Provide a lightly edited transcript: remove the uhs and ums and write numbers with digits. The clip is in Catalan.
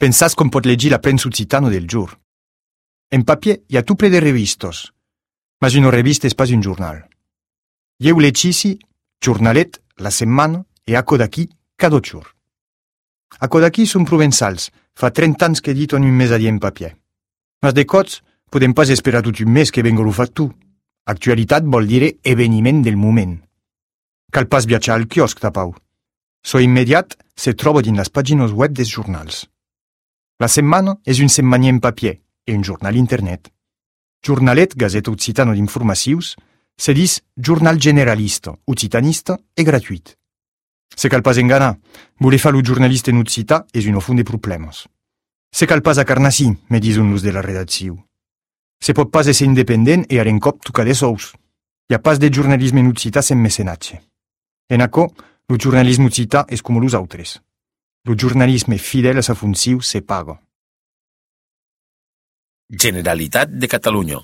Pensas com pot legir la premsa occitana del giorno. En papier hi ha tu ple de revistos, ma una revista és pas un jornal. Jeu lecisi, Jornalet, La Setmana e Aco d'aquí cada giorno. Aco d'aquí són provençals, fa 30 anys que editen un mes a dia en papier. Mas de cots, podem pas esperar tot un mes que venga lo fat tu. Actualitat vol dire eveniment del moment. Cal pas viatjar al quiosc, tapau. So immediat se troba dins les pàgines web dels jornals. La Setmana és un setmanier en papier e un jornal internet. Jornalet, Gazeta Occitana d'informacions, se dis jornal generalista, occitanista e gratuït. Se cal pas enganar, voler fa lo jornalista en occità és un ofun de problemes. Se cal pas acarnassi, me dison los de la redacció. Se pot pas ésser independent e en cop tocar de sous. Hi ha pas de jornalisme en occità sen mecenatge. En acò, lo jornalisme occità és com los autres. Lo jornalisme fidel a sa funció se paga. Generalitat de Catalunya.